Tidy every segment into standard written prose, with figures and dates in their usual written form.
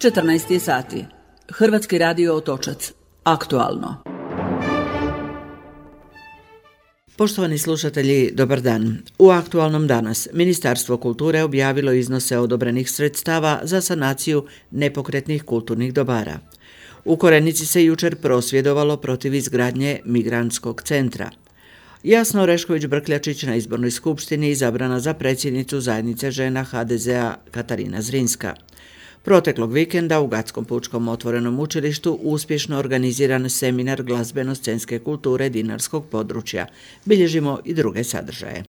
14 sati. Hrvatski radio Otočac. Aktualno. Poštovani slušatelji, dobar dan. U aktualnom danas Ministarstvo kulture objavilo iznose odobrenih sredstava za sanaciju nepokretnih kulturnih dobara. U Korenici se jučer prosvjedovalo protiv izgradnje migrantskog centra. Jasna Orešković-Brkljačić na izbornoj skupštini izabrana za predsjednicu zajednice žena HDZ-a Katarina Zrinska. Proteklog vikenda u Gatskom pučkom otvorenom učilištu uspješno organiziran seminar glazbeno-scenske kulture dinarskog područja. Bilježimo i druge sadržaje.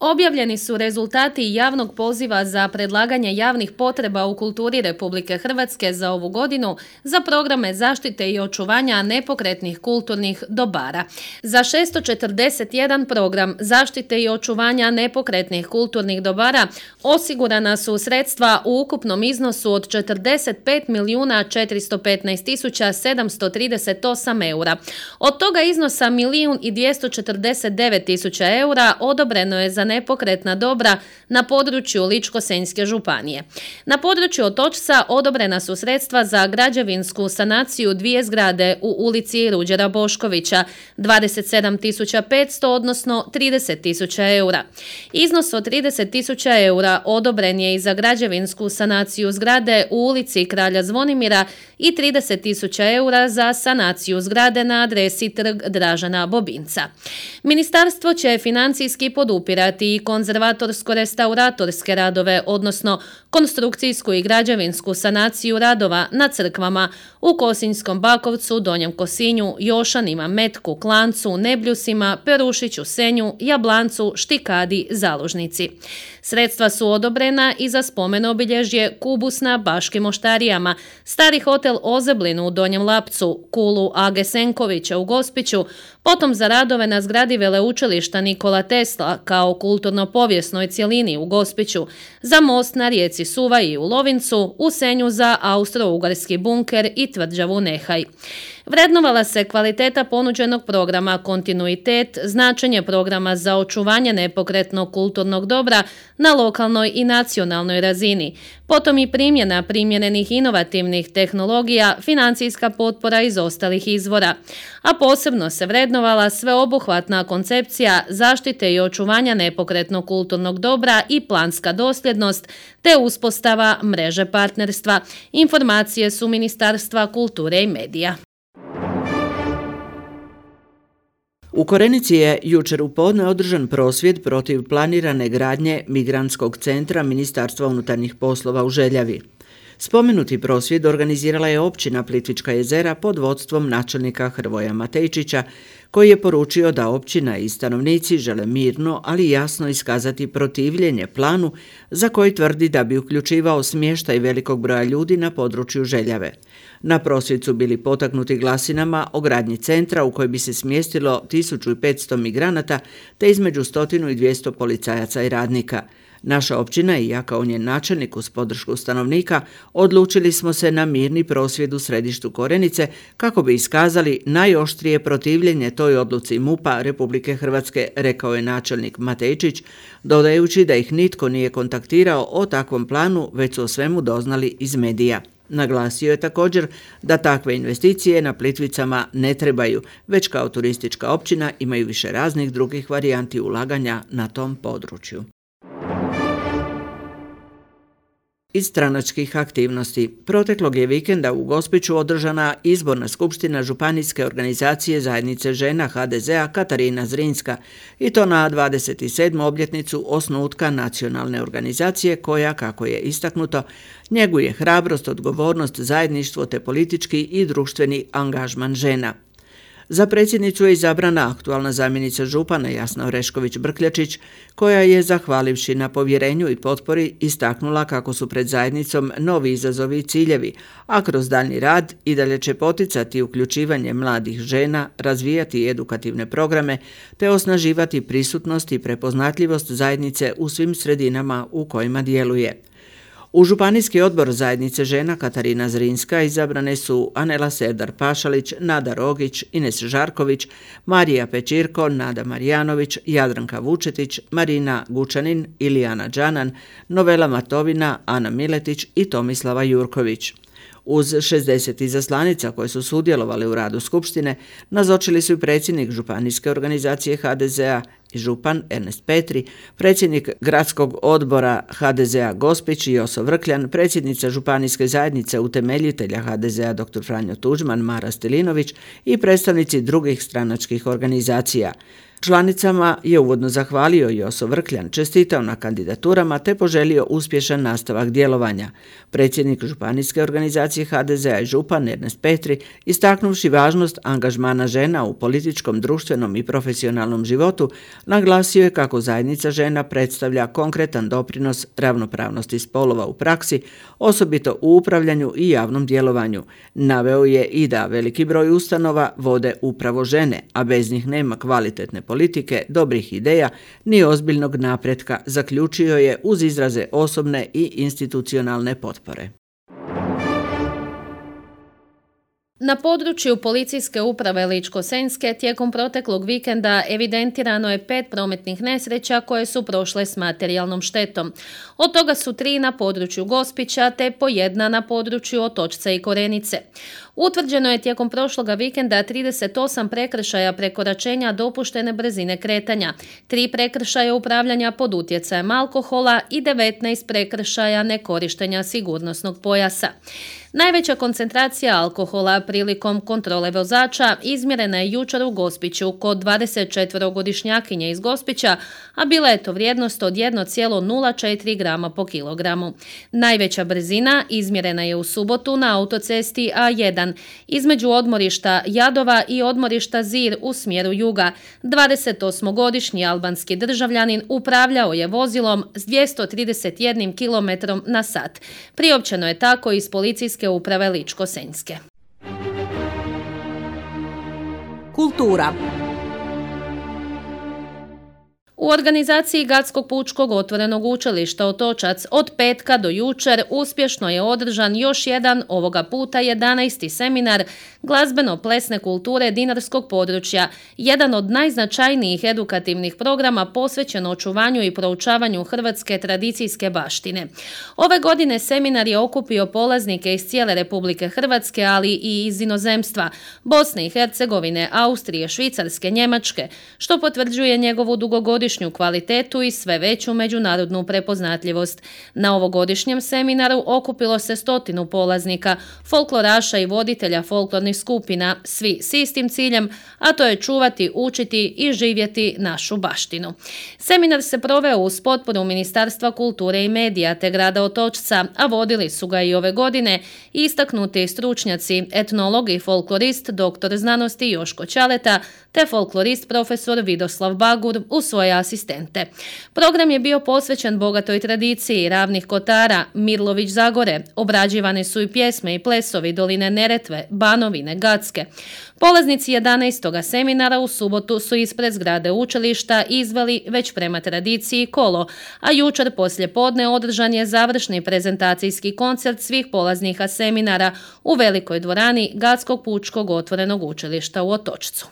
Objavljeni su rezultati javnog poziva za predlaganje javnih potreba u kulturi Republike Hrvatske za ovu godinu za programe zaštite i očuvanja nepokretnih kulturnih dobara. Za 641 program zaštite i očuvanja nepokretnih kulturnih dobara osigurana su sredstva u ukupnom iznosu od 45.415.738 eura. Od toga iznosa 1.249.000 eura odobreno je za nepokretna dobra na području Ličko-senjske županije. Na području Otočca odobrena su sredstva za građevinsku sanaciju dvije zgrade u ulici Ruđera Boškovića, 27.500 odnosno 30.000 eura. Iznos od 30.000 eura odobren je i za građevinsku sanaciju zgrade u ulici Kralja Zvonimira i 30.000 eura za sanaciju zgrade na adresi Trg Dražena Bobinca. Ministarstvo će financijski podupirati i konzervatorsko-restauratorske radove, odnosno konstrukcijsku i građevinsku sanaciju radova na crkvama u Kosinjskom Bakovcu, Donjem Kosinju, Jošanima, Metku, Klancu, Nebljusima, Perušiću, Senju, Jablancu, Štikadi, Zalužnici. Sredstva su odobrena i za spomen obilježje Kubus na Baškim Oštarijama, Stari hotel Ozeblinu u Donjem Lapcu, Kulu Age Senkovića u Gospiću, potom za radove na zgradi Veleučilišta Nikola Tesla kao kulturno-povijesnoj cjelini u Gospiću, za most na rijeci Suvaji u Lovincu, u Senju za austro-ugarski bunker i tvrđavu Nehaj. Vrednovala se kvaliteta ponuđenog programa, kontinuitet, značenje programa za očuvanje nepokretnog kulturnog dobra na lokalnoj i nacionalnoj razini, potom i primjena primjerenih inovativnih tehnologija, financijska potpora iz ostalih izvora, a posebno se vrednovala sveobuhvatna koncepcija zaštite i očuvanja nepokretnog kulturnog dobra i planska dosljednost, te uspostava mreže partnerstva. Informacije su Ministarstva kulture i medija. U Korenici je jučer u podne održan prosvjed protiv planirane gradnje migrantskog centra Ministarstva unutarnjih poslova u Željavi. Spomenuti prosvjed organizirala je općina Plitvička jezera pod vodstvom načelnika Hrvoja Matejčića, koji je poručio da općina i stanovnici žele mirno, ali jasno iskazati protivljenje planu za koji tvrdi da bi uključivao smještaj velikog broja ljudi na području Željave. Na prosvjed su bili potaknuti glasinama o gradnji centra u koji bi se smjestilo 1500 migranata te između 100 i 200 policajaca i radnika. Naša općina i ja kao njen načelnik uz podršku stanovnika odlučili smo se na mirni prosvjed u središtu Korenice kako bi iskazali najoštrije protivljenje toj odluci MUP-a Republike Hrvatske, rekao je načelnik Matejčić, dodajući da ih nitko nije kontaktirao o takvom planu, već su o svemu doznali iz medija. Naglasio je također da takve investicije na Plitvicama ne trebaju, već kao turistička općina imaju više raznih drugih varijanti ulaganja na tom području. Iz stranačkih aktivnosti. Proteklog je vikenda u Gospiću održana izborna skupština županijske organizacije zajednice žena HDZ-a Katarina Zrinska i to na 27. obljetnicu osnutka nacionalne organizacije koja, kako je istaknuto, njeguje hrabrost, odgovornost, zajedništvo te politički i društveni angažman žena. Za predsjednicu je izabrana aktualna zamjenica župana Jasna Orešković-Brkljačić, koja je, zahvalivši na povjerenju i potpori, istaknula kako su pred zajednicom novi izazovi i ciljevi, a kroz daljnji rad i dalje će poticati uključivanje mladih žena, razvijati edukativne programe te osnaživati prisutnost i prepoznatljivost zajednice u svim sredinama u kojima djeluje. U Županijski odbor zajednice žena Katarina Zrinska izabrane su Anela Serdar-Pašalić, Nada Rogić, Ines Žarković, Marija Pečirko, Nada Marijanović, Jadranka Vučetić, Marina Gučanin, Ilijana Đanan, Novela Matovina, Ana Miletić i Tomislava Jurković. Uz 60 izaslanica koje su sudjelovali u radu Skupštine, nazočili su i predsjednik Županijske organizacije HDZ-a i župan Ernest Petri, predsjednik Gradskog odbora HDZ-a Gospić Joso Vrkljan, predsjednica Županijske zajednice utemeljitelja HDZ-a dr. Franjo Tuđman Mara Stilinović i predstavnici drugih stranačkih organizacija. Članicama je uvodno zahvalio Joso Vrkljan, čestitao na kandidaturama te poželio uspješan nastavak djelovanja. Predsjednik Županijske organizacije HDZ-a i župan Ernest Petri, istaknuvši važnost angažmana žena u političkom, društvenom i profesionalnom životu, naglasio je kako zajednica žena predstavlja konkretan doprinos ravnopravnosti spolova u praksi, osobito u upravljanju i javnom djelovanju. Naveo je i da veliki broj ustanova vode upravo žene, a bez njih nema kvalitetne politike, dobrih ideja ni ozbiljnog napretka, zaključio je uz izraze osobne i institucionalne potpore. Na području policijske uprave Ličko-senjske tijekom proteklog vikenda evidentirano je 5 prometnih nesreća koje su prošle s materijalnom štetom. Od toga su 3 na području Gospića te po 1 na području Otočca i Korenice. Utvrđeno je tijekom prošloga vikenda 38 prekršaja prekoračenja dopuštene brzine kretanja, 3 prekršaja upravljanja pod utjecajem alkohola i 19 prekršaja nekorištenja sigurnosnog pojasa. Najveća koncentracija alkohola prilikom kontrole vozača izmjerena je jučer u Gospiću kod 24-godišnjakinje iz Gospića, a bila je to vrijednost od 1,04 grama po kilogramu. Najveća brzina izmjerena je u subotu na autocesti A1 između odmorišta Jadova i odmorišta Zir u smjeru juga. 28-godišnji albanski državljanin upravljao je vozilom s 231 km na sat. Priopćeno je tako iz policijske uprave Ličko-senjske. Kultura. U organizaciji Gradskog pučkog otvorenog učilišta Otočac od petka do jučer uspješno je održan još jedan, ovoga puta 11. seminar glazbeno-plesne kulture dinarskog područja, jedan od najznačajnijih edukativnih programa posvećen očuvanju i proučavanju hrvatske tradicijske baštine. Ove godine seminar je okupio polaznike iz cijele Republike Hrvatske, ali i iz inozemstva, Bosne i Hercegovine, Austrije, Švicarske, Njemačke, što potvrđuje njegovu dugogodišnju kvalitetu i sve veću međunarodnu prepoznatljivost. Na ovogodišnjem seminaru okupilo se 100 polaznika, folkloraša i voditelja folklornih skupina, svi s istim ciljem, a to je čuvati, učiti i živjeti našu baštinu. Seminar se proveo uz potporu Ministarstva kulture i medija te grada Otočca, a vodili su ga i ove godine istaknuti stručnjaci, etnolog i folklorist dr. znanosti Joško Ćaleta te folklorist profesor Vidoslav Bagur u svoje asistente. Program je bio posvećen bogatoj tradiciji ravnih kotara, Mirlović Zagore, obrađivane su i pjesme i plesovi doline Neretve, Banovine, Gacke. Polaznici 11. seminara u subotu su ispred zgrade učilišta izveli već prema tradiciji kolo, a jučer poslijepodne održan je završni prezentacijski koncert svih polaznika seminara u velikoj dvorani Gradskog pučkog otvorenog učilišta u Otočcu.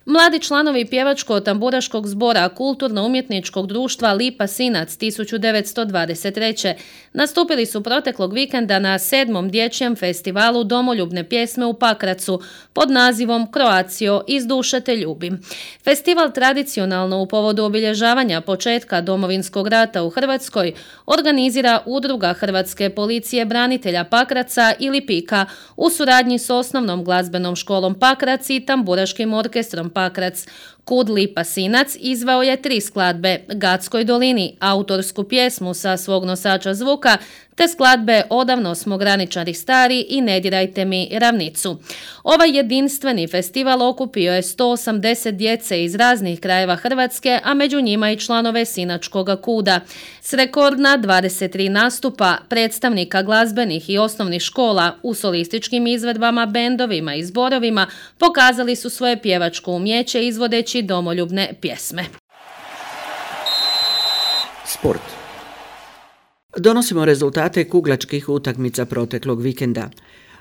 Mladi članovi pjevačko-tamburaškog zbora Kulturno-umjetničkog društva Lipa Sinac 1923. nastupili su proteklog vikenda na 7. dječjem festivalu domoljubne pjesme u Pakracu pod nazivom Croatio iz duše te ljubim. Festival tradicionalno u povodu obilježavanja početka Domovinskog rata u Hrvatskoj organizira Udruga Hrvatske policije branitelja Pakraca ili PIKA u suradnji s osnovnom glazbenom školom Pakrac i tamburaškim orkestrom Pakrac. Kud Lipa Sinac izveo je 3 skladbe, Gatskoj dolini, autorsku pjesmu sa svog nosača zvuka, te skladbe Odavno smo graničari stari i Ne dirajte mi ravnicu. Ovaj jedinstveni festival okupio je 180 djece iz raznih krajeva Hrvatske, a među njima i članove Sinačkoga kuda. S rekordna 23 nastupa predstavnika glazbenih i osnovnih škola u solističkim izvedbama, bendovima i zborovima pokazali su svoje pjevačko umjeće izvodeći domoljubne pjesme. Sport. Donosimo rezultate kuglačkih utakmica proteklog vikenda.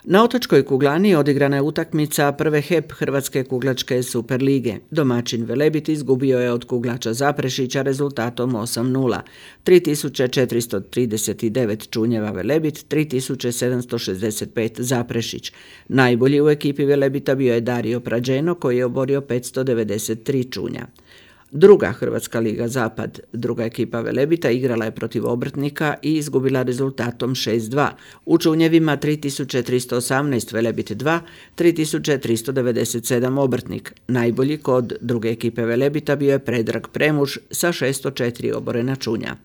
Na otočkoj kuglani odigrana je utakmica prve HEP Hrvatske kuglačke Super lige. Domaćin Velebit izgubio je od kuglača Zaprešića rezultatom 8:0. 3439 čunjeva Velebit, 3765 Zaprešić. Najbolji u ekipi Velebita bio je Dario Prađeno koji je oborio 593 čunja. Druga Hrvatska liga Zapad, druga ekipa Velebita, igrala je protiv Obrtnika i izgubila rezultatom 6:2. U čunjevima 3318 Velebit 2, 3397 Obrtnik. Najbolji kod druge ekipe Velebita bio je Predrag Premuž sa 604 oborena čunja.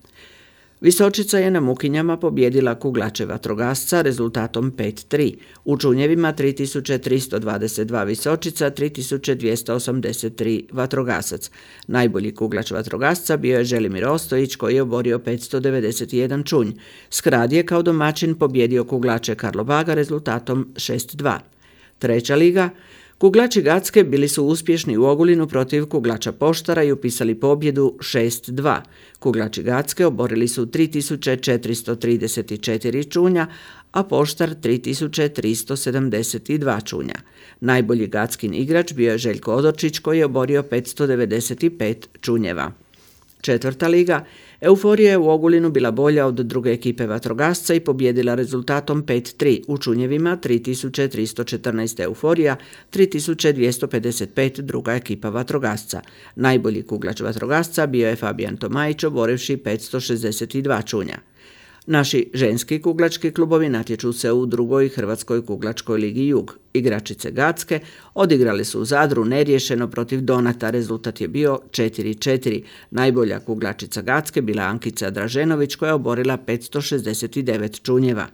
Visočica je na Mukinjama pobijedila kuglače Vatrogasca rezultatom 5:3. U čunjevima 3322 Visočica, 3283 Vatrogasac. Najbolji kuglač Vatrogasca bio je Želimir Ostojić koji je oborio 591 čunj. Skrad je kao domaćin pobjedio kuglače Karlobaga rezultatom 6:2. Treća liga. Kuglači Gacke bili su uspješni u Ogulinu protiv kuglača Poštara i upisali pobjedu 6:2. Kuglači Gacke oborili su 3434 čunja, a Poštar 3372 čunja. Najbolji Gackin igrač bio je Željko Odorčić koji je oborio 595 čunjeva. Četvrta liga. Euforija je u Ogulinu bila bolja od druge ekipe Vatrogasca i pobjedila rezultatom 5:3. U čunjevima 3314 Euforija, 3255 druga ekipa Vatrogasca. Najbolji kuglač Vatrogasca bio je Fabijan Tomajić oborivši 562 čunja. Naši ženski kuglački klubovi natječu se u drugoj Hrvatskoj kuglačkoj ligi Jug. Igračice Gacke odigrali su u Zadru neriješeno protiv Donata, rezultat je bio 4:4. Najbolja kuglačica Gacke bila Ankica Draženović koja je oborila 569 čunjeva.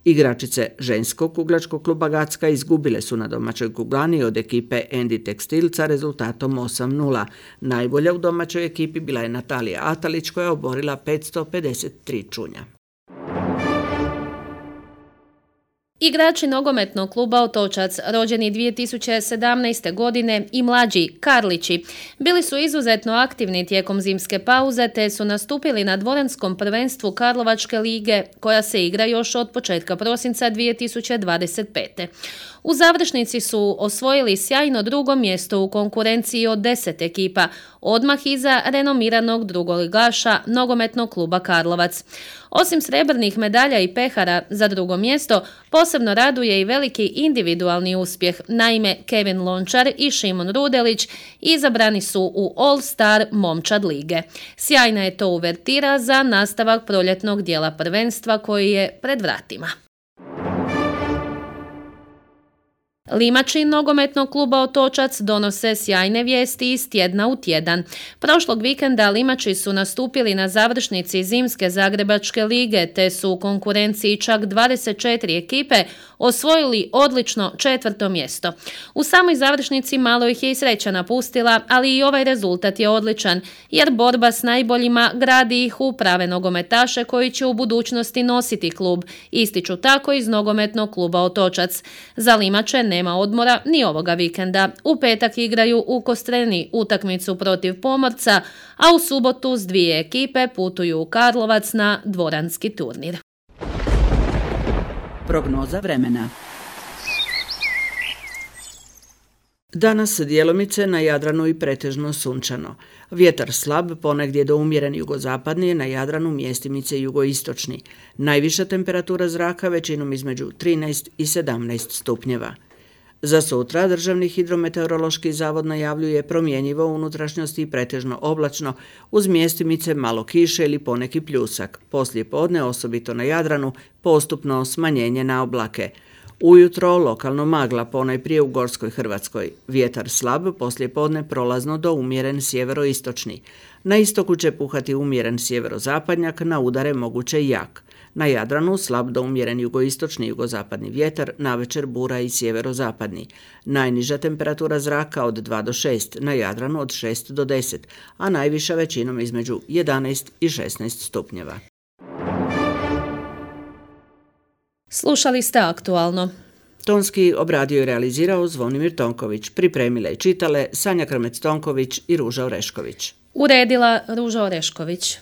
Igračice ženskog kuglačkog kluba Gacka izgubile su na domaćoj kuglani od ekipe Endi Tekstilca rezultatom 8:0. Najbolja u domaćoj ekipi bila je Natalija Atalić koja je oborila 553 čunja. Igrači nogometnog kluba Otočac, rođeni 2017. godine i mlađi Karlići, bili su izuzetno aktivni tijekom zimske pauze te su nastupili na dvoranskom prvenstvu Karlovačke lige koja se igra još od početka prosinca 2025. U završnici su osvojili sjajno drugo mjesto u konkurenciji od 10 ekipa, odmah iza renomiranog drugoligaša nogometnog kluba Karlovac. Osim srebrnih medalja i pehara za drugo mjesto, posebno raduje i veliki individualni uspjeh. Naime, Kevin Lončar i Šimon Rudelić izabrani su u All Star momčad lige. Sjajna je to uvertira za nastavak proljetnog dijela prvenstva koji je pred vratima. Limači nogometnog kluba Otočac donose sjajne vijesti iz tjedna u tjedan. Prošlog vikenda Limači su nastupili na završnici zimske Zagrebačke lige te su u konkurenciji čak 24 ekipe osvojili odlično 4. mjesto. U samoj završnici malo ih je i sreća napustila, ali i ovaj rezultat je odličan jer borba s najboljima gradi ih u prave nogometaše koji će u budućnosti nositi klub, ističu tako iz nogometnog kluba Otočac. Za Limače nema odmora ni ovoga vikenda. U petak igraju u Kostreni utakmicu protiv Pomorca, a u subotu s 2 ekipe putuju u Karlovac na dvoranski turnir. Prognoza vremena. Danas djelomice na Jadranu i pretežno sunčano. Vjetar slab, ponegdje do umjeren jugozapadni, na Jadranu mjestimice jugoistočni. Najviša temperatura zraka većinom između 13 i 17 stupnjeva. Za sutra Državni hidrometeorološki zavod najavljuje promjenjivo u unutrašnjosti i pretežno oblačno, uz mjestimice malo kiše ili poneki pljusak. Poslije podne, osobito na Jadranu, postupno smanjenje na oblake. Ujutro lokalno magla, ponajprije u Gorskoj Hrvatskoj. Vjetar slab, poslije podne prolazno do umjeren sjeveroistočni. Na istoku će puhati umjeren sjeverozapadnjak, na udare moguće jak. Na Jadranu slab do umjeren jugoistočni jugozapadni vjetar, navečer bura i sjeverozapadni. Najniža temperatura zraka od 2 do 6, na Jadranu od 6 do 10, a najviša većinom između 11 i 16 stupnjeva. Slušali ste Aktualno. Tonski obradio i realizirao Zvonimir Tonković, pripremile i čitale Sanja Krmec-Tonković i Ruža Orešković. Uredila Ruža Orešković.